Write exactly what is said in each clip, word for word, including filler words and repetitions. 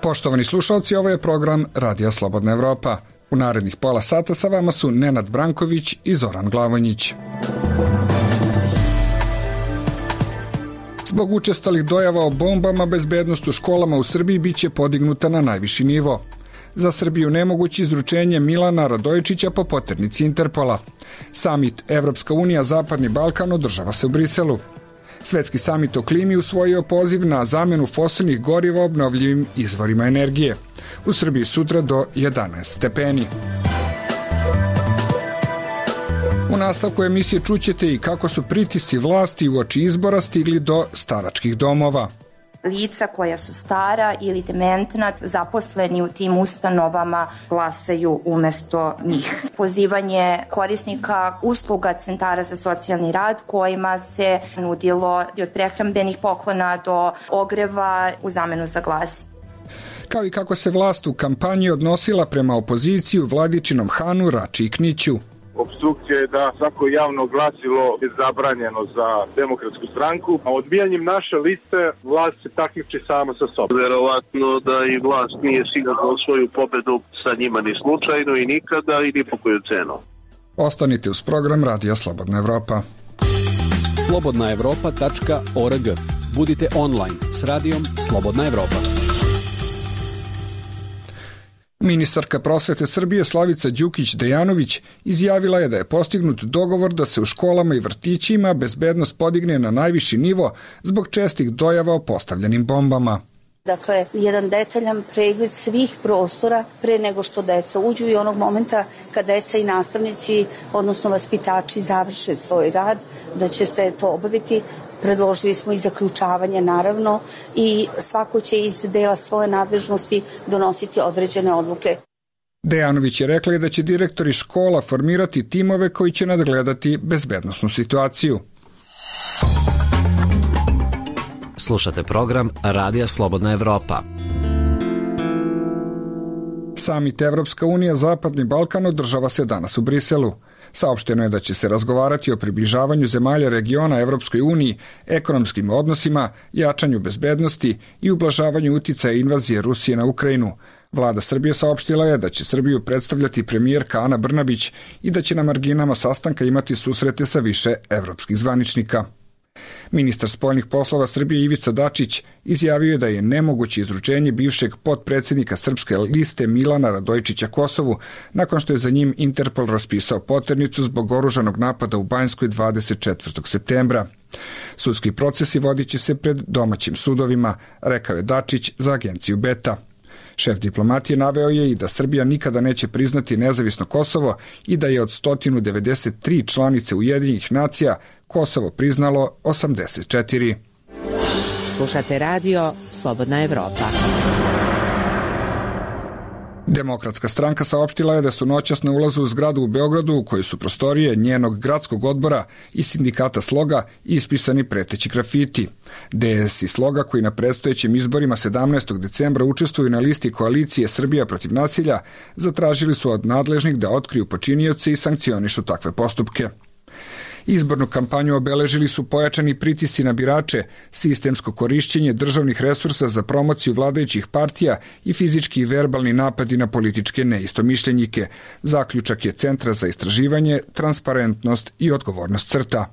Poštovani slušalci, ovo je program Radija Slobodna Evropa. U narednih pola sata sa vama su Nenad Branković i Zoran Glavonjić. Zbog učestalih dojava o bombama, bezbednost u školama u Srbiji biće podignuta na najviši nivo. Za Srbiju nemoguće izručenje Milana Radojičića po poternici Interpola. Samit Evropska unija Zapadni Balkan održava se u Briselu. Svetski samit o klimi usvojio poziv na zamenu fosilnih goriva obnovljivim izvorima energije. U Srbiji sutra do jedanaest stepeni. U nastavku emisije čućete i kako su pritisci vlasti uoči izbora stigli do staračkih domova. Lica koja su stara ili dementna, zaposleni u tim ustanovama, glasaju umesto njih. Pozivanje korisnika usluga centara za socijalni rad kojima se nudilo od prehrambenih poklona do ogreva u zamenu za glas. Kao i kako se vlast u kampanji odnosila prema opoziciji u Vladičinom Hanu, Rači i Kniću. Opstrukcija je da svako javno glasilo je zabranjeno za Demokratsku stranku, a odbijanjem naše liste vlast se takmiči sama sa sobom. Verovatno da i vlast nije sigurno svoju pobedu sa njima ni slučajno i nikada i ni po koju cenu. Ostanite uz program Radija Slobodna Evropa. slobodna evropa tačka org. Budite online s radijom Slobodna Evropa. Ministarka prosvete Srbije Slavica Đukić-Dejanović izjavila je da je postignut dogovor da se u školama i vrtićima bezbednost podigne na najviši nivo zbog čestih dojava o postavljenim bombama. Dakle, jedan detaljan pregled svih prostora pre nego što deca uđu i onog momenta kad deca i nastavnici, odnosno vaspitači, završe svoj rad, da će se to obaviti. Predložili smo i zaključavanje, naravno, i svako će iz dela svoje nadležnosti donositi određene odluke. Dejanović je rekla da će direktori škola formirati timove koji će nadgledati bezbednosnu situaciju. Slušate program Radija Slobodna Evropa. Samit Evropska unija Zapadni Balkan održava se danas u Briselu. Saopšteno je da će se razgovarati o približavanju zemalja regiona Evropskoj uniji, ekonomskim odnosima, jačanju bezbednosti i ublažavanju uticaja invazije Rusije na Ukrajinu. Vlada Srbije saopštila je da će Srbiju predstavljati premijerka Ana Brnabić i da će na marginama sastanka imati susrete sa više evropskih zvaničnika. Ministar spoljnih poslova Srbije Ivica Dačić izjavio je da je nemoguće izručenje bivšeg potpredsjednika srpske liste Milana Radojičića Kosovu nakon što je za njim Interpol raspisao poternicu zbog oružanog napada u Banjskoj dvadeset četvrtog septembra. Sudski procesi vodit će se pred domaćim sudovima, rekao je Dačić za agenciju Beta. Šef diplomatije naveo je i da Srbija nikada neće priznati nezavisno Kosovo i da je od sto devedeset tri članice Ujedinjenih nacija Kosovo priznalo osamdeset četiri. Slušate radio Slobodna Evropa. Demokratska stranka saopštila je da su noćas na ulazu u zgradu u Beogradu u kojoj su prostorije njenog gradskog odbora i sindikata Sloga ispisani preteći grafiti. D S i Sloga, koji na predstojećim izborima sedamnaestog decembra učestvuju na listi koalicije Srbija protiv nasilja, zatražili su od nadležnih da otkriju počinioce i sankcionišu takve postupke. Izbornu kampanju obeležili su pojačani pritisci na birače, sistemsko korišćenje državnih resursa za promociju vladajućih partija i fizički i verbalni napadi na političke neistomišljenike. Zaključak je Centra za istraživanje, transparentnost i odgovornost CRTA.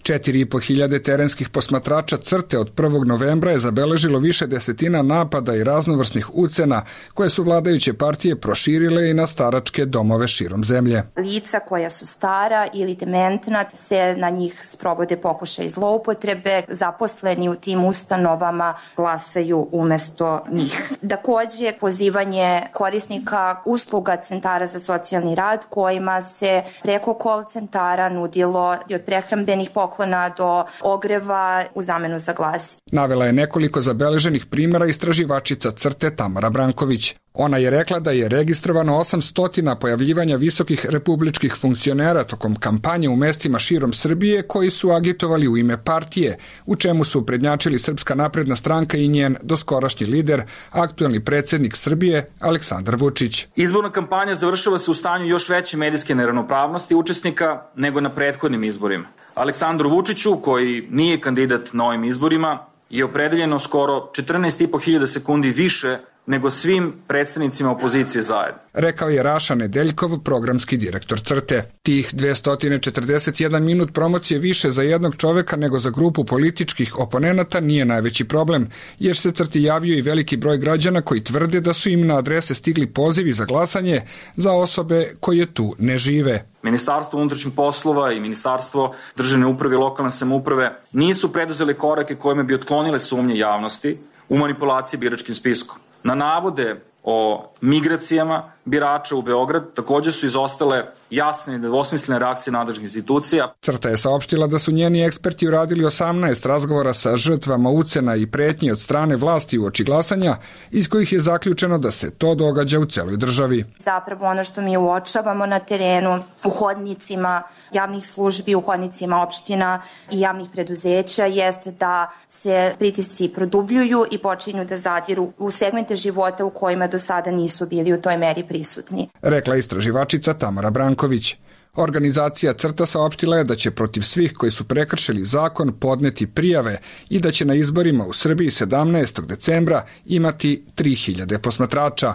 Četiri i po hiljade terenskih posmatrača CRTE od prvog novembra je zabeležilo više desetina napada i raznovrsnih ucena koje su vladajuće partije proširile i na staračke domove širom zemlje. Lica koja su stara ili dementna, se na njih sprovode pokušaj zloupotrebe, zaposleni u tim ustanovama glasaju umesto njih. Takođe, pozivanje korisnika usluga centara za socijalni rad kojima se preko call centara nudilo od prehrambenih poklona do ogreva u zamenu za glas. Navela je nekoliko zabeleženih primjera istraživačica CRTE Tamara Branković. Ona je rekla da je registrovano osamsto pojavljivanja visokih republičkih funkcionera tokom kampanje u mestima širom Srbije koji su agitovali u ime partije, u čemu su prednjačili Srpska napredna stranka i njen doskorašnji lider, aktuelni predsjednik Srbije Aleksandar Vučić. Izborna kampanja završava se u stanju još veće medijske neravnopravnosti učesnika nego na prethodnim izborima. Aleksandru Vučiću, koji nije kandidat na ovim izborima, je opredeljeno skoro četrnaest i po hiljada sekundi više nego svim predstavnicima opozicije zajedno. Rekao je Raša Nedeljkov, programski direktor Crte. Tih dvesta četrdeset jedan minut promocije više za jednog čoveka nego za grupu političkih oponenata nije najveći problem, jer se Crti javio i veliki broj građana koji tvrde da su im na adrese stigli pozivi za glasanje za osobe koje tu ne žive. Ministarstvo unutrašnjih poslova i Ministarstvo državne uprave i lokalne samouprave nisu preduzeli korake kojima bi otklonile sumnje javnosti u manipulaciji biračkim spiskom. Na navode o migracijama birača u Beograd također su izostale jasne i nedvosmislene reakcije nadležnih institucija. Crta je saopštila da su njeni eksperti uradili osamnaest razgovora sa žrtvama ucena i pretnji od strane vlasti uoči glasanja, iz kojih je zaključeno da se to događa u celoj državi. Zapravo ono što mi uočavamo na terenu, u hodnicima javnih službi, u hodnicima opština i javnih preduzeća, jeste da se pritisci produbljuju i počinju da zadiru u segmente života u kojima do sada nisu bili u toj meri prisutni. Rekla istraživačica Tamara Branković. Organizacija Crta saopštila je da će protiv svih koji su prekršili zakon podneti prijave i da će na izborima u Srbiji sedamnaestog decembra imati tri hiljade posmatrača.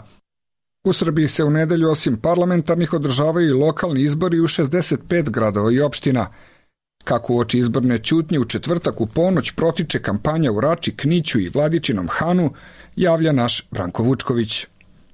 U Srbiji se u nedelju osim parlamentarnih održavaju i lokalni izbori u šezdeset pet gradova i opština. Kako uoči izborne ćutnje u četvrtak u ponoć protiče kampanja u Rači, Kniću i Vladičinom Hanu, javlja naš Branko Vučković.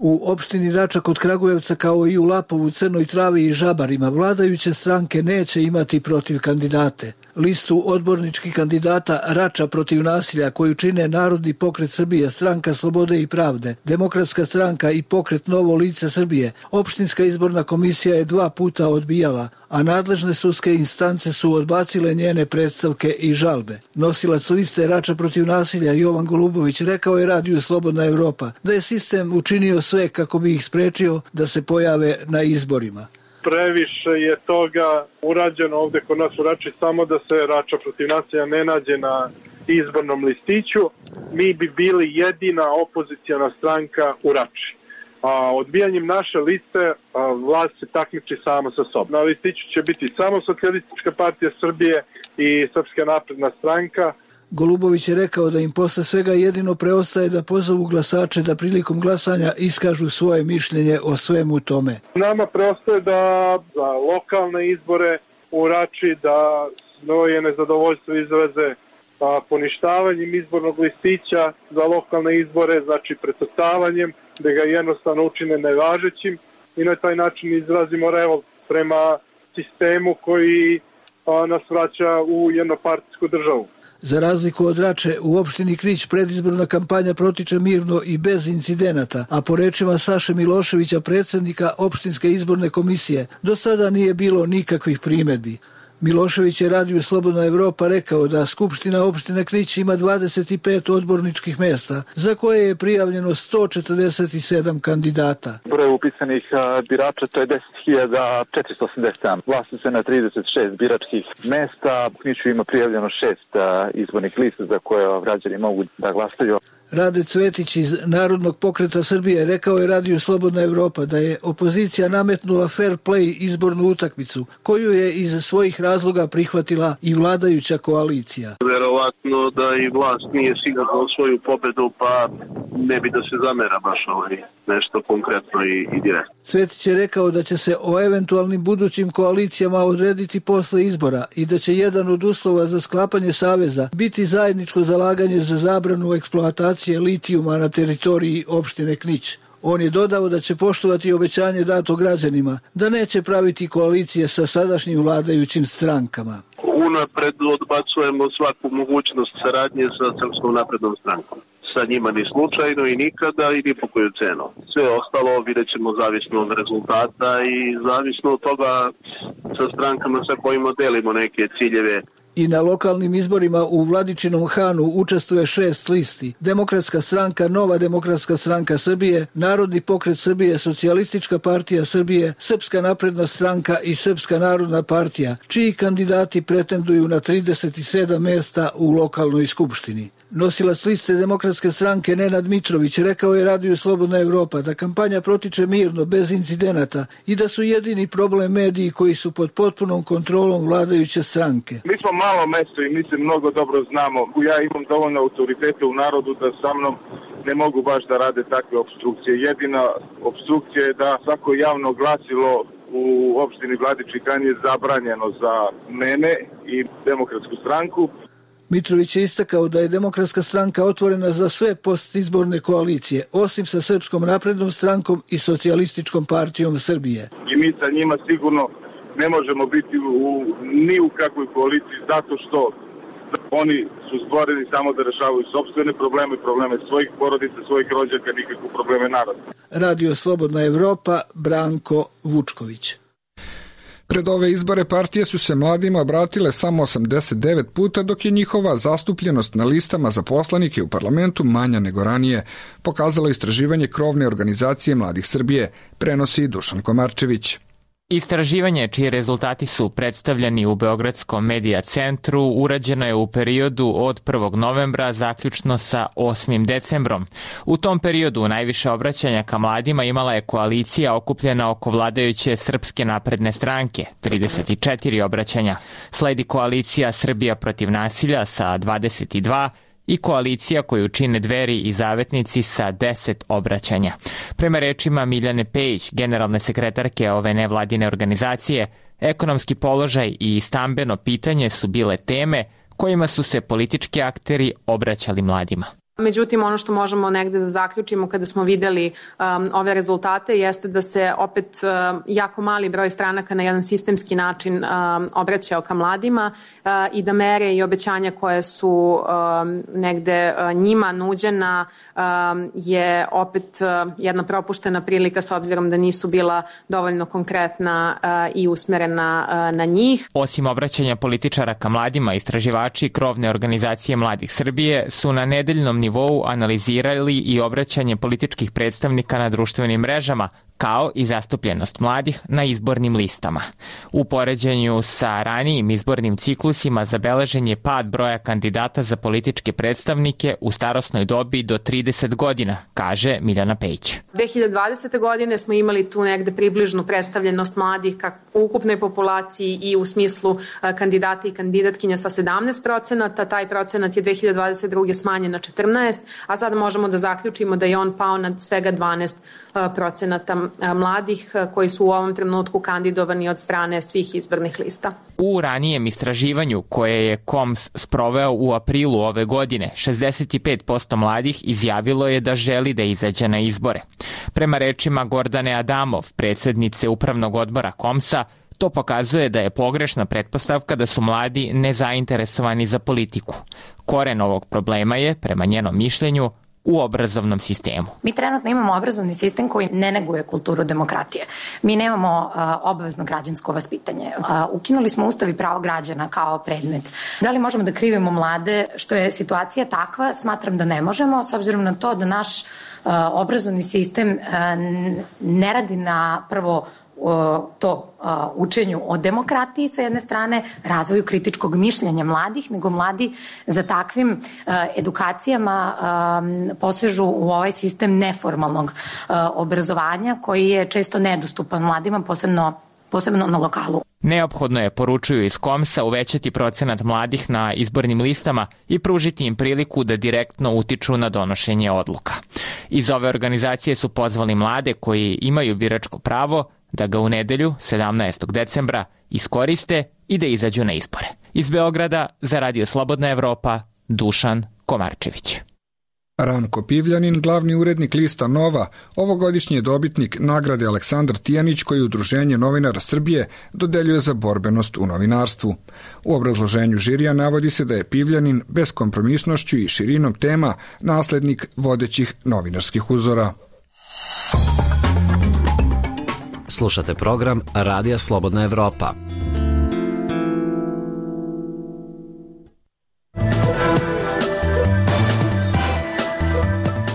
U opštini Rača kod Kragujevca kao i u Lapovu, Crnoj Travi i Žabarima vladajuće stranke neće imati protiv kandidate. Listu odborničkih kandidata Rača protiv nasilja koju čine Narodni pokret Srbije, Stranka slobode i pravde, Demokratska stranka i Pokret Novo lice Srbije, opštinska izborna komisija je dva puta odbijala, a nadležne sudske instance su odbacile njene predstavke i žalbe. Nosilac liste Rača protiv nasilja Jovan Golubović rekao je radiju Slobodna Evropa da je sistem učinio sve kako bi ih sprečio da se pojave na izborima. Previše je toga urađeno ovde kod nas u Rači, samo da se Rača protiv nasilja ne nađe na izbornom listiću. Mi bi bili jedina opozicijana stranka u Rači. A odbijanjem naše liste a, vlast se takmiči sama sa sobom. Na listiću će biti samo Socijalistička partija Srbije i Srpska napredna stranka. Golubović je rekao da im posle svega jedino preostaje da pozovu glasače da prilikom glasanja iskažu svoje mišljenje o svemu tome. Nama preostaje da za lokalne izbore u Rači da svoje nezadovoljstvo izraze a, poništavanjem izbornog listića za lokalne izbore, znači precrtavanjem, da ga jednostavno učine nevažećim i na taj način izrazimo revolt prema sistemu koji a, nas vraća u jednopartijsku državu. Za razliku od Rače, u opštini Knić predizborna kampanja protiče mirno i bez incidenata, a po rečima Saše Miloševića, predsjednika opštinske izborne komisije, do sada nije bilo nikakvih primedbi. Milošević je radiju Slobodna Evropa rekao da Skupština opštine Knić ima dvadeset pet odborničkih mesta, za koje je prijavljeno sto četrdeset sedam kandidata. Broj upisanih birača to je deset hiljada četiristo osamdeset sedam. Glasa se na trideset šest biračkih mesta. U Kniću ima prijavljeno šest izbornih lista za koje građani mogu da glasaju. Rade Cvetić iz Narodnog pokreta Srbije rekao je radiju Slobodna Evropa da je opozicija nametnula fair play izbornu utakmicu, koju je iz svojih razloga prihvatila i vladajuća koalicija. Verovatno da i vlast nije sigurna u svoju pobedu, pa ne bi da se zamera baš ovaj nešto konkretno i, i direktno. Cvetić je rekao da će se o eventualnim budućim koalicijama odrediti posle izbora i da će jedan od uslova za sklapanje saveza biti zajedničko zalaganje za zabranu eksploatacije litijuma na teritoriji opštine Knić. On je dodao da će poštovati obećanje dato građanima, da neće praviti koalicije sa sadašnjim vladajućim strankama. Unapred odbacujemo svaku mogućnost saradnje sa Srpskom naprednom strankom. Sa njima ni slučajno i nikada i ni po koju cenu. Sve ostalo vidjet ćemo zavisno od rezultata i zavisno od toga sa strankama sa kojima delimo neke ciljeve. I na lokalnim izborima u Vladičinom Hanu učestvuje šest listi. Demokratska stranka, Nova demokratska stranka Srbije, Narodni pokret Srbije, Socijalistička partija Srbije, Srpska napredna stranka i Srpska narodna partija, čiji kandidati pretenduju na trideset sedam mesta u lokalnoj skupštini. Nosilac liste Demokratske stranke Nenad Mitrović rekao je radiju Slobodna Evropa da kampanja protiče mirno, bez incidenata i da su jedini problem mediji koji su pod potpunom kontrolom vladajuće stranke. Mi smo malo mesto i mi se mnogo dobro znamo. Ja imam dovoljno autoriteta u narodu da sa mnom ne mogu baš da rade takve opstrukcije. Jedina opstrukcija je da svako javno glasilo u opštini Vladičin Han je zabranjeno za mene i Demokratsku stranku. Mitrović je istakao da je Demokratska stranka otvorena za sve postizborne koalicije, osim sa Srpskom naprednom strankom i Socijalističkom partijom Srbije. I mi sa njima sigurno ne možemo biti u, ni u kakvoj koaliciji zato što oni su stvoreni samo da rešavaju sopstvene probleme, probleme svojih porodica, svojih rođaka, nikakve probleme naroda. Radio Slobodna Evropa, Branko Vučković. Pred ove izbore partije su se mladima obratile samo osamdeset devet puta, dok je njihova zastupljenost na listama za poslanike u parlamentu manja nego ranije, pokazalo istraživanje krovne organizacije Mladih Srbije, prenosi Dušan Komarčević. Istraživanje, čiji rezultati su predstavljeni u Beogradskom medija centru, urađeno je u periodu od prvog novembra zaključno sa osmim decembrom. U tom periodu najviše obraćanja ka mladima imala je koalicija okupljena oko vladajuće Srpske napredne stranke, trideset četiri obraćanja. Sledi koalicija Srbija protiv nasilja sa dvadeset dva i koalicija koju čine Dveri i Zavetnici sa deset obraćanja. Prema rečima Miljane Pejić, generalne sekretarke ove nevladine organizacije, ekonomski položaj i stambeno pitanje su bile teme kojima su se politički akteri obraćali mladima. Međutim, ono što možemo negde da zaključimo kada smo videli um, ove rezultate jeste da se opet um, jako mali broj stranaka na jedan sistemski način um, obraćao ka mladima uh, i da mere i obećanja koje su um, negde uh, njima nuđena um, je opet uh, jedna propuštena prilika s obzirom da nisu bila dovoljno konkretna uh, i usmerena uh, na njih. Osim obraćanja političara ka mladima, istraživači krovne organizacije Mladih Srbije su na nedeljnom nivou nivou analizirali i obraćanje političkih predstavnika na društvenim mrežama, kao i zastupljenost mladih na izbornim listama. U poređenju sa ranijim izbornim ciklusima zabeležen je pad broja kandidata za političke predstavnike u starosnoj dobi do trideset godina, kaže Miljana Pejić. dve hiljade dvadesete. godine smo imali tu negde približnu predstavljenost mladih u ukupnoj populaciji i u smislu kandidata i kandidatkinja sa sedamnaest procenata. Taj procenat je dve hiljade dvadeset druge. smanjen na četrnaest, a sada možemo da zaključimo da je on pao na svega dvanaest procenata mladih koji su u ovom trenutku kandidovani od strane svih izbornih lista. U ranijem istraživanju koje je K O M S sproveo u aprilu ove godine, šezdeset pet posto mladih izjavilo je da želi da izađe na izbore. Prema rečima Gordane Adamov, predsednice Upravnog odbora K O M S-a, to pokazuje da je pogrešna pretpostavka da su mladi nezainteresovani za politiku. Koren ovog problema je, prema njenom mišljenju, u obrazovnom sistemu. Mi trenutno imamo obrazovni sistem koji ne neguje kulturu demokratije. Mi nemamo uh, obavezno građansko vaspitanje. Uh, ukinuli smo Ustav i pravo građana kao predmet. Da li možemo da krivimo mlade što je situacija takva? Smatram da ne možemo, s obzirom na to da naš uh, obrazovni sistem uh, ne radi na prvo to učenju o demokratiji sa jedne strane, razvoju kritičkog mišljenja mladih, nego mladi za takvim edukacijama posežu u ovaj sistem neformalnog obrazovanja koji je često nedostupan mladima, posebno, posebno na lokalu. Neophodno je, poručuju iz K O M S-a, uvećati procenat mladih na izbornim listama i pružiti im priliku da direktno utiču na donošenje odluka. Iz ove organizacije su pozvali mlade koji imaju biračko pravo da ga u nedelju, sedamnaestog decembra, iskoriste i da izađu na izbore. Iz Beograda za Radio Slobodna Evropa, Dušan Komarčević. Ranko Pivljanin, glavni urednik lista Nova, ovogodišnji je dobitnik nagrade Aleksandar Tijanić koji Udruženje novinara Srbije dodeljuje za borbenost u novinarstvu. U obrazloženju žirija navodi se da je Pivljanin beskompromisnošću i širinom tema naslednik vodećih novinarskih uzora. Slušate program Radija Slobodna Evropa.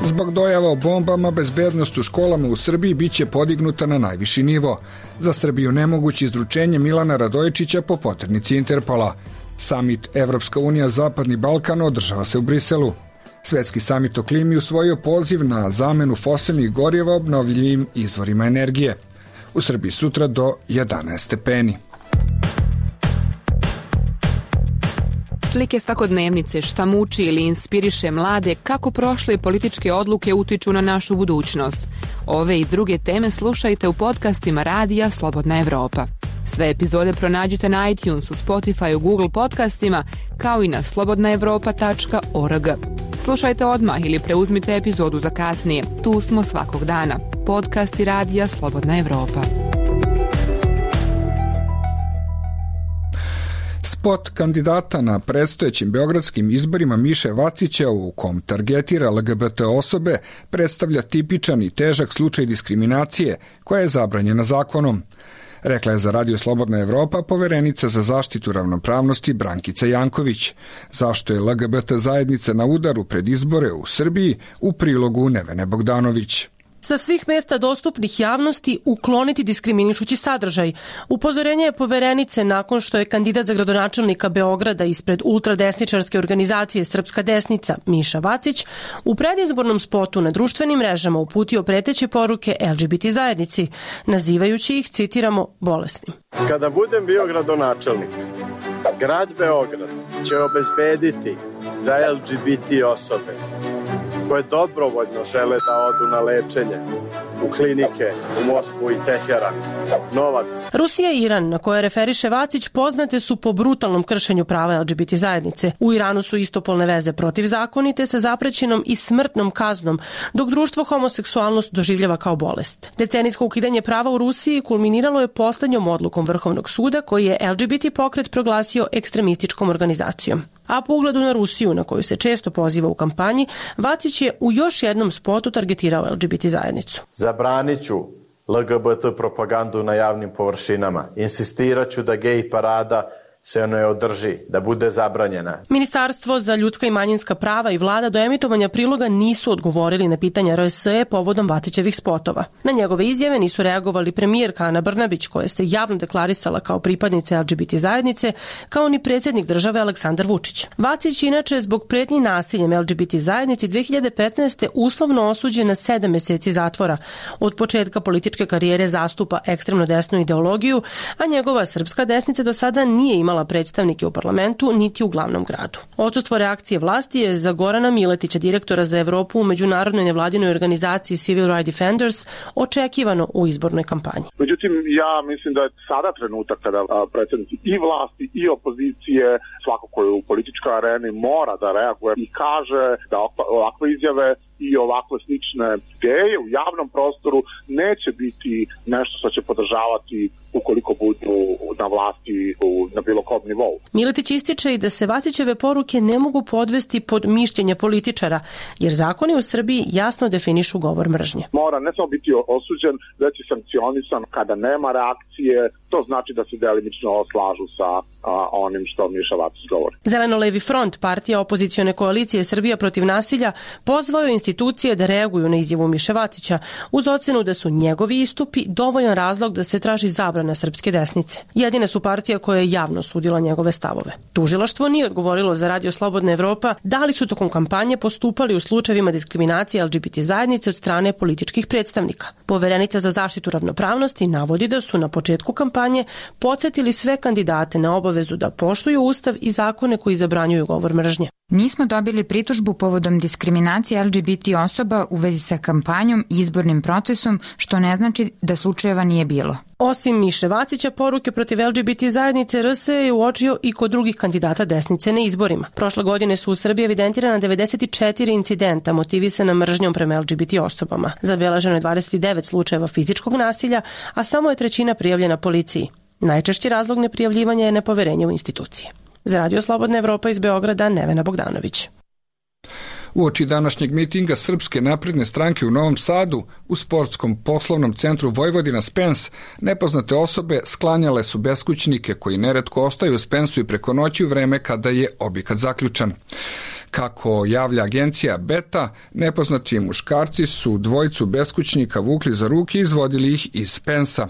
Zbog dojava o bombama, bezbednost u školama u Srbiji biće podignuta na najviši nivo. Za Srbiju nemoguće izručenje Milana Radojičića po poternici Interpola. Samit Evropska unija Zapadni Balkan održava se u Briselu. Svetski samit o klimi usvojio poziv na zamenu fosilnih goriva obnovljivim izvorima energije. U Srbiji sutra do jedanaest stepeni. Slike svakodnevnice, šta muči ili inspiriše mlade, kako prošle političke odluke utiču na našu budućnost. Ove i druge teme slušajte u podcastima Radija Slobodna Evropa. Sve epizode pronađite na iTunesu, Spotifyu, Google podcastima, kao i na slobodna evropa tačka org. Slušajte odmah ili preuzmite epizodu za kasnije. Tu smo svakog dana. Podcasti Radija Slobodna Evropa. Spot kandidata na predstojećim beogradskim izborima Miše Vacića, u kom targetira L G B T osobe, predstavlja tipičan i težak slučaj diskriminacije koja je zabranjena zakonom. Rekla je za Radio Slobodna Evropa poverenica za zaštitu ravnopravnosti Brankica Janković. Zašto je L G B T zajednica na udaru pred izbore u Srbiji, u prilogu Nevene Bogdanović. Sa svih mesta dostupnih javnosti ukloniti diskriminišući sadržaj. Upozorenje je poverenice nakon što je kandidat za gradonačelnika Beograda ispred ultradesničarske organizacije Srpska desnica Miša Vacić u predizbornom spotu na društvenim mrežama uputio preteće poruke L G B T zajednici, nazivajući ih, citiramo, bolesnim. Kada budem bio gradonačelnik, grad Beograd će obezbediti za L G B T osobe koje dobrovoljno žele da odu na lečenje u klinike u Moskvu i Teheran novac. Rusija i Iran, na koje referiše Vacić, poznate su po brutalnom kršenju prava L G B T zajednice. U Iranu su istopolne veze protivzakonite sa zaprećenom i smrtnom kaznom, dok društvo homoseksualnost doživljava kao bolest. Decenijsko ukidanje prava u Rusiji kulminiralo je poslednjom odlukom Vrhovnog suda koji je L G B T pokret proglasio ekstremističkom organizacijom. A po ugledu na Rusiju, na koju se često poziva u kampanji, Vacić je u još jednom spotu targetirao L G B T zajednicu. Zabranit ću L G B T propagandu na javnim površinama. Insistirat ću da gej parada se ne održi, da bude zabranjena. Ministarstvo za ljudska i manjinska prava i vlada do emitovanja priloga nisu odgovorili na pitanja R S E povodom Vacićevih spotova. Na njegove izjave nisu reagovali premijerka Ana Brnabić, koja se javno deklarisala kao pripadnica L G B T zajednice, kao ni predsjednik države Aleksandar Vučić. Vacić inače zbog pretnji nasiljem L G B T zajednici dve hiljade petnaeste. uslovno osuđen na sedam meseci zatvora. Od početka političke karijere zastupa ekstremno desnu ideologiju, a njegova Srpska desnica do sada nije imala predstavnike u parlamentu niti u glavnom gradu. Odsustvo reakcije vlasti je za Gorana Miletića, direktora za Evropu u međunarodnoj nevladinoj organizaciji Civil Rights Defenders, očekivano u izbornoj kampanji. Međutim, ja mislim da je sada trenutak kada predstavnici i vlasti i opozicije, svako ko je u političkoj areni, mora da reaguje i kaže da ovakve izjave i ovakve slične ideje u javnom prostoru neće biti nešto što će podržavati ukoliko budu na vlasti na bilo kom nivou. Miletić ističe i da se Vacićeve poruke ne mogu podvesti pod mišljenje političara, jer zakoni u Srbiji jasno definišu govor mržnje. Mora ne samo biti osuđen, već i sankcionisan kada nema reakcije. To znači da se delimično slažu sa a, onim što Miša Vacić govori. Zeleno-levi front, partija opozicione koalicije Srbija protiv nasilja, pozvao je institucije da reaguju na izjavu Miše Vacića uz ocenu da su njegovi istupi dovoljan razlog da se traži zabrana srpske desnice. Jedine su partija koja je javno sudila njegove stavove. Tužilaštvo nije odgovorilo za Radio Slobodna Evropa da li su tokom kampanje postupali u slučajevima diskriminacije L G B T zajednice od strane političkih predstavnika. Poverenica za zaštitu ravnopravnosti navodi da su na početku kampanje podsjetili sve kandidate na obavezu da poštuju ustav i zakone koji zabranjuju govor mržnje. Nismo dobili pritužbu povodom diskriminacije L G B T osoba u vezi sa kampanjom i izbornim procesom, što ne znači da slučajeva nije bilo. Osim Miše Vacića, poruke protiv L G B T zajednice R S E je uočio i kod drugih kandidata desnice na izborima. Prošle godine su u Srbiji evidentirana devedeset četiri incidenta motivisana mržnjom prema L G B T osobama. Zabeleženo je dvadeset devet slučajeva fizičkog nasilja, a samo je trećina prijavljena policiji. Najčešći razlog neprijavljivanja je nepoverenje u institucije. Za Radio Slobodna Evropa iz Beograda, Nevena Bogdanović. Uoči današnjeg mitinga Srpske napredne stranke u Novom Sadu, u sportskom poslovnom centru Vojvodina Spens, nepoznate osobe sklanjale su beskućnike koji neretko ostaju u Spensu i preko noći u vreme kada je objekat zaključan. Kako javlja agencija Beta, nepoznati muškarci su dvojicu beskućnika vukli za ruke i izvodili ih iz Spensa.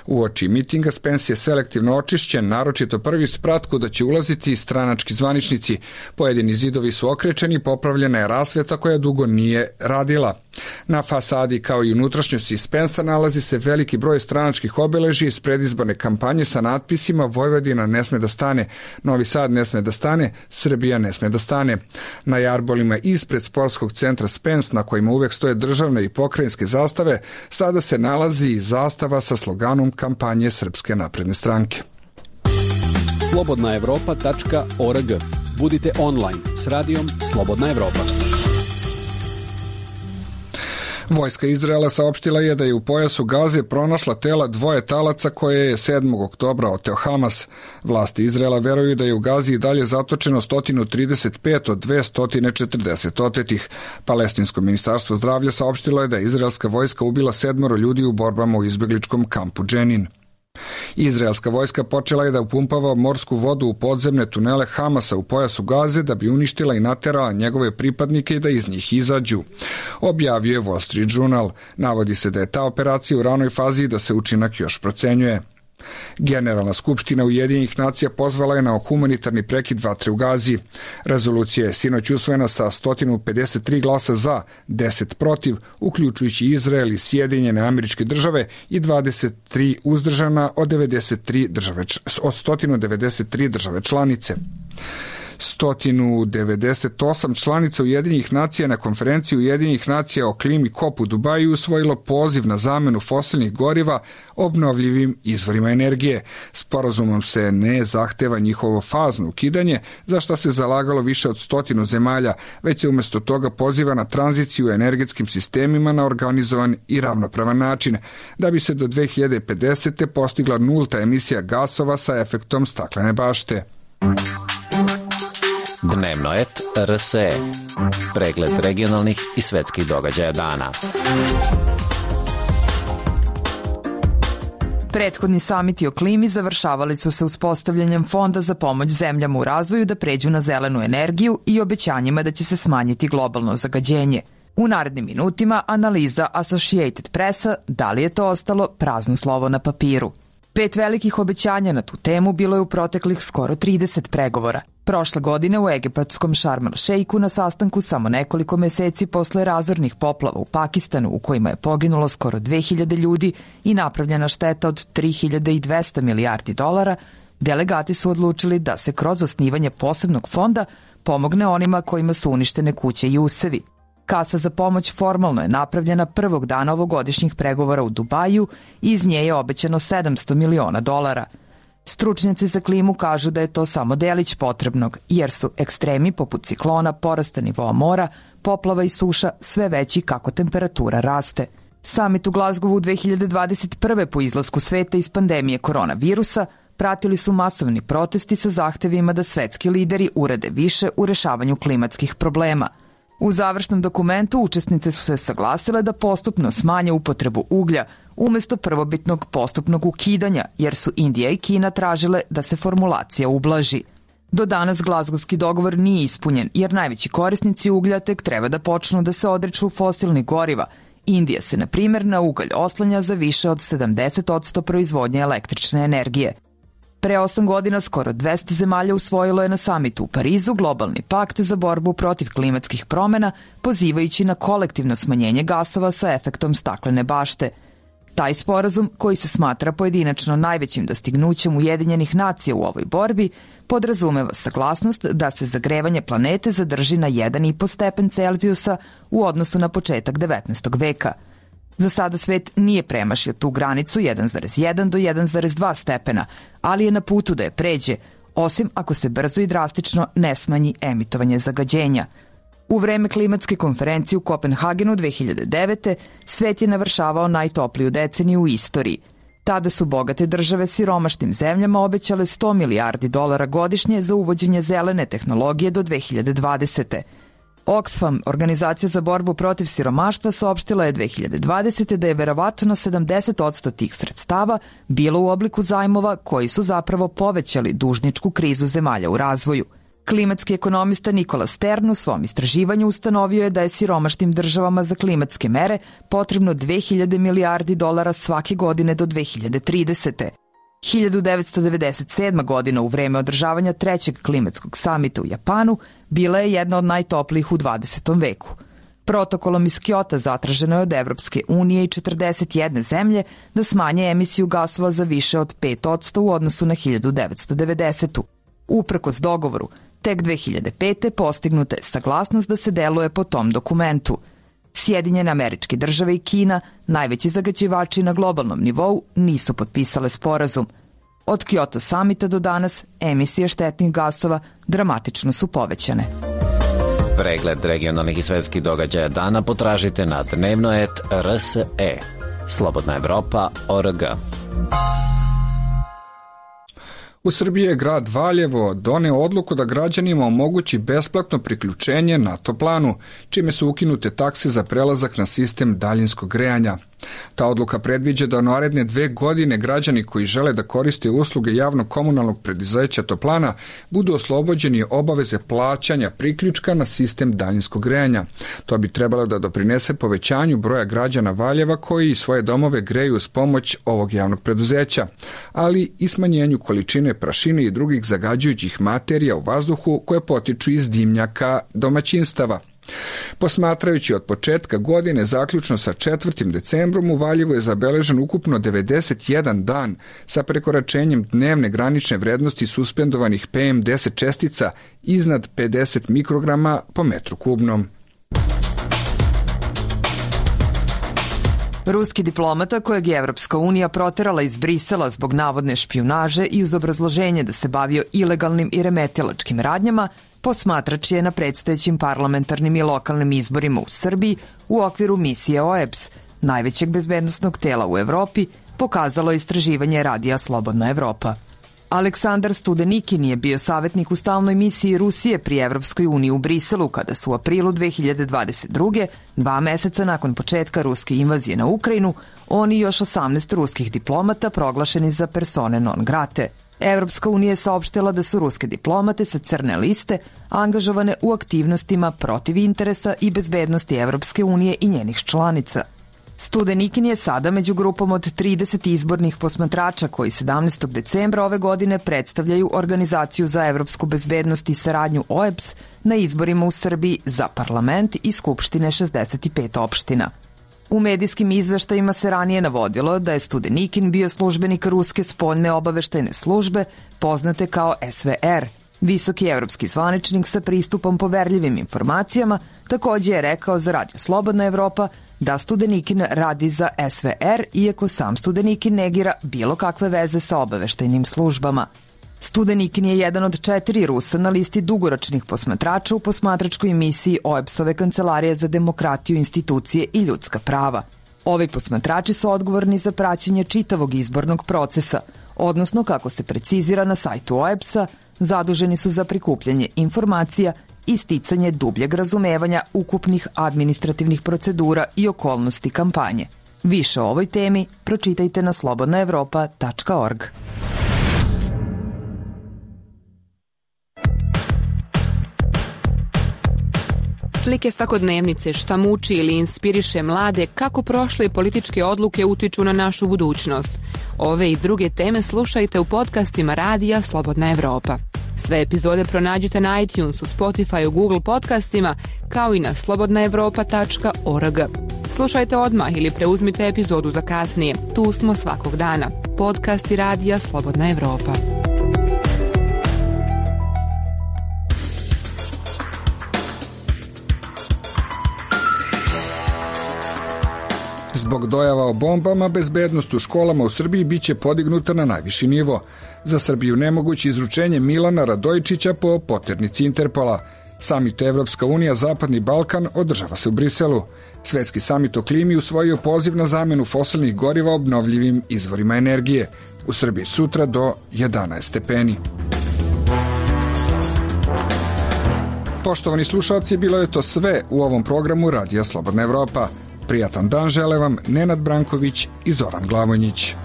Uoči mitinga Spens je selektivno očišćen, naročito prvi sprat kuda će ulaziti stranački zvaničnici. Pojedini zidovi su okrečeni, popravljena je rasveta koja dugo nije radila. Na fasadi kao i unutrašnjosti Spensa nalazi se veliki broj stranačkih obeležja iz predizborne kampanje sa natpisima Vojvodina ne sme da stane, Novi Sad ne sme da stane, Srbija ne sme da stane. Na jarbolima ispred sportskog centra Spens, na kojima uvek stoje državne i pokrajinske zastave, sada se nalazi i zastava sa sloganom kampanje Srpske napredne stranke. slobodna evropa tačka org. Budite online s radijom Slobodna Evropa. Vojska Izraela saopštila je da je u pojasu Gaze pronašla tela dvoje talaca koje je sedmog oktobra oteo Hamas. Vlasti Izraela veruju da je u Gazi i dalje zatočeno sto trideset pet od dvesta četrdeset otetih. Palestinsko ministarstvo zdravlja saopštilo je da je izraelska vojska ubila sedmoro ljudi u borbama u izbegličkom kampu Dženin. Izraelska vojska počela je da upumpava morsku vodu u podzemne tunele Hamasa u pojasu Gaze da bi uništila i naterala njegove pripadnike i da iz njih izađu. Objavio je Wall Street Journal. Navodi se da je ta operacija u ranoj fazi i da se učinak još procenjuje. Generalna skupština Ujedinjenih nacija pozvala je na humanitarni prekid vatre u Gazi. Rezolucija je sinoć usvojena sa sto pedeset tri glasa za, deset protiv, uključujući Izrael i Sjedinjene Američke Države i dvadeset tri uzdržana od, devedeset tri države, od sto devedeset tri države članice. sto devedeset osam članica Ujedinjenih nacija na konferenciji Ujedinjenih nacija o klimi COP u Dubaju usvojilo poziv na zamenu fosilnih goriva obnovljivim izvorima energije. Sporazumom se ne zahteva njihovo fazno ukidanje, za što se zalagalo više od stotinu zemalja, već se umjesto toga poziva na tranziciju u energetskim sistemima na organizovan i ravnopravan način, da bi se do dve hiljade pedesete postigla nulta emisija gasova sa efektom staklene bašte. Dnevno et R S E. Pregled regionalnih i svetskih događaja dana. Prethodni samiti o klimi završavali su se uspostavljanjem Fonda za pomoć zemljama u razvoju da pređu na zelenu energiju i obećanjima da će se smanjiti globalno zagađenje. U narednim minutima analiza Associated Pressa da li je to ostalo prazno slovo na papiru. Pet velikih obećanja na tu temu bilo je u proteklih skoro trideset pregovora. Prošle godine u egipatskom Šarm el Šejku na sastanku samo nekoliko meseci posle razornih poplava u Pakistanu u kojima je poginulo skoro dve hiljade ljudi i napravljena šteta od tri hiljade dvesta milijardi dolara, delegati su odlučili da se kroz osnivanje posebnog fonda pomogne onima kojima su uništene kuće i usevi. Kasa za pomoć formalno je napravljena prvog dana ovogodišnjih pregovora u Dubaju i iz nje je obećano sedamsto miliona dolara. Stručnjaci za klimu kažu da je to samo delić potrebnog, jer su ekstremi poput ciklona, porasta nivoa mora, poplava i suša sve veći kako temperatura raste. Samit u Glazgovu dve hiljade dvadeset prve po izlasku sveta iz pandemije koronavirusa pratili su masovni protesti sa zahtevima da svetski lideri urade više u rešavanju klimatskih problema. U završnom dokumentu učesnice su se saglasile da postupno smanje upotrebu uglja umesto prvobitnog postupnog ukidanja, jer su Indija i Kina tražile da se formulacija ublaži. Do danas glazgovski dogovor nije ispunjen, jer najveći korisnici uglja tek treba da počnu da se odriču fosilnih goriva. Indija se, na primjer, na ugalj oslanja za više od sedamdeset posto proizvodnje električne energije. Pre osam godina skoro dvesta zemalja usvojilo je na samitu u Parizu globalni pakt za borbu protiv klimatskih promena, pozivajući na kolektivno smanjenje gasova sa efektom staklene bašte. Taj sporazum, koji se smatra pojedinačno najvećim dostignućem Ujedinjenih nacija u ovoj borbi, podrazumeva saglasnost da se zagrevanje planete zadrži na jedan i po stepen Celzijusa u odnosu na početak devetnaestog veka. Za sada svet nije premašio tu granicu jedan zarez jedan do jedan zarez dva stepena, ali je na putu da je pređe, osim ako se brzo i drastično ne smanji emitovanje zagađenja. U vreme klimatske konferencije u Kopenhagenu dve hiljade devete svet je navršavao najtopliju deceniju u istoriji. Tada su bogate države siromašnim zemljama obećale sto milijardi dolara godišnje za uvođenje zelene tehnologije do dve hiljade dvadesete. Oxfam, organizacija za borbu protiv siromaštva, saopštila je dve hiljade dvadesete da je verovatno sedamdeset posto tih sredstava bilo u obliku zajmova koji su zapravo povećali dužničku krizu zemalja u razvoju. Klimatski ekonomista Nikola Stern u svom istraživanju ustanovio je da je siromašnim državama za klimatske mere potrebno dve hiljade milijardi dolara svake godine do dve hiljade tridesete. hiljadu devetsto devedeset sedma. godina u vreme održavanja trećeg klimatskog samita u Japanu bila je jedna od najtoplijih u dvadesetom veku. Protokolom iz Kjota zatraženo je od Evropske unije i četrdeset jedne zemlje da smanje emisiju gasova za više od pet posto u odnosu na hiljadu devetsto devedesetu. Uprkos dogovoru, tek dve hiljade pete. postignuta je saglasnost da se deluje po tom dokumentu. Sjedinjene Američke Države i Kina, najveći zagađivači na globalnom nivou, nisu potpisale sporazum. Od Kyoto samita do danas emisije štetnih gasova dramatično su povećane. Pregled regionalnih i svetskih događaja dana potražite na dnevnoet R S E. Slobodna Evropa tačka org. U Srbiji je grad Valjevo doneo odluku da građanima omogući besplatno priključenje na toplanu, čime su ukinute takse za prelazak na sistem daljinskog grejanja. Ta odluka predviđa da u naredne dve godine građani koji žele da koriste usluge javnog komunalnog preduzeća toplana budu oslobođeni obaveze plaćanja priključka na sistem daljinskog grejanja. To bi trebalo da doprinese povećanju broja građana Valjeva koji svoje domove greju uz pomoć ovog javnog preduzeća, ali i smanjenju količine prašine i drugih zagađujućih materija u vazduhu koje potiču iz dimnjaka domaćinstava. Posmatrajući od početka godine, zaključno sa četvrtim decembrom, u Valjevu je zabeležen ukupno devedeset jedan dan sa prekoračenjem dnevne granične vrednosti suspendovanih P M deset čestica iznad pedeset mikrograma po metru kubnom. Ruski diplomata kojeg je Evropska unija proterala iz Brisela zbog navodne špijunaže i uz obrazloženje da se bavio ilegalnim i remetilačkim radnjama, posmatrač je na predstojećim parlamentarnim i lokalnim izborima u Srbiji u okviru misije O E B S, najvećeg bezbednosnog tela u Evropi, pokazalo istraživanje radija Slobodna Evropa. Aleksandar Studenikin je bio savjetnik u stalnoj misiji Rusije pri Evropskoj uniji u Briselu kada su u aprilu dve hiljade dvadeset druge. dva meseca nakon početka ruske invazije na Ukrajinu, on i još osamnaest ruskih diplomata proglašeni za persone non grate. Evropska unija je saopštila da su ruske diplomate sa crne liste angažovane u aktivnostima protiv interesa i bezbednosti Evropske unije i njenih članica. Studenikin je sada među grupom od trideset izbornih posmatrača koji sedamnaestog decembra ove godine predstavljaju Organizaciju za evropsku bezbednost i saradnju O E B S na izborima u Srbiji za parlament i skupštine šezdeset pet opština. U medijskim izveštajima se ranije navodilo da je Studenikin bio službenik ruske spoljne obaveštajne službe, poznate kao S V R. Visoki evropski zvaničnik sa pristupom poverljivim informacijama takođe je rekao za Radio Slobodna Evropa da Studenikin radi za S V R, iako sam Studenikin negira bilo kakve veze sa obaveštajnim službama. Studenikin je jedan od četiri Rusa na listi dugoročnih posmatrača u posmatračkoj misiji O E B S-ove Kancelarije za demokratiju, institucije i ljudska prava. Ovi posmatrači su odgovorni za praćenje čitavog izbornog procesa, odnosno, kako se precizira na sajtu O E B S-a, zaduženi su za prikupljanje informacija i sticanje dubljeg razumevanja ukupnih administrativnih procedura i okolnosti kampanje. Više o ovoj temi pročitajte na slobodna evropa tačka org. Slike svakodnevnice šta muči ili inspiriše mlade kako prošle političke odluke utiču na našu budućnost. Ove i druge teme slušajte u podcastima Radija Slobodna Evropa. Sve epizode pronađite na iTunesu, Spotifyu, Google podcastima, kao i na slobodna evropa tačka org. Slušajte odmah ili preuzmite epizodu za kasnije. Tu smo svakog dana. Podcasti Radija Slobodna Evropa. Zbog dojava o bombama, bezbednost u školama u Srbiji biće podignuta na najviši nivo. Za Srbiju nemoguće izručenje Milana Radojičića po poternici Interpola. Samit Evropska unija Zapadni Balkan održava se u Briselu. Svetski samit o klimi usvojio poziv na zamenu fosilnih goriva obnovljivim izvorima energije. U Srbiji sutra do jedanaest stepeni. Poštovani slušalci, bilo je to sve u ovom programu Radija Slobodna Evropa. Prijatan dan žele vam Nenad Branković i Zoran Glavonjić.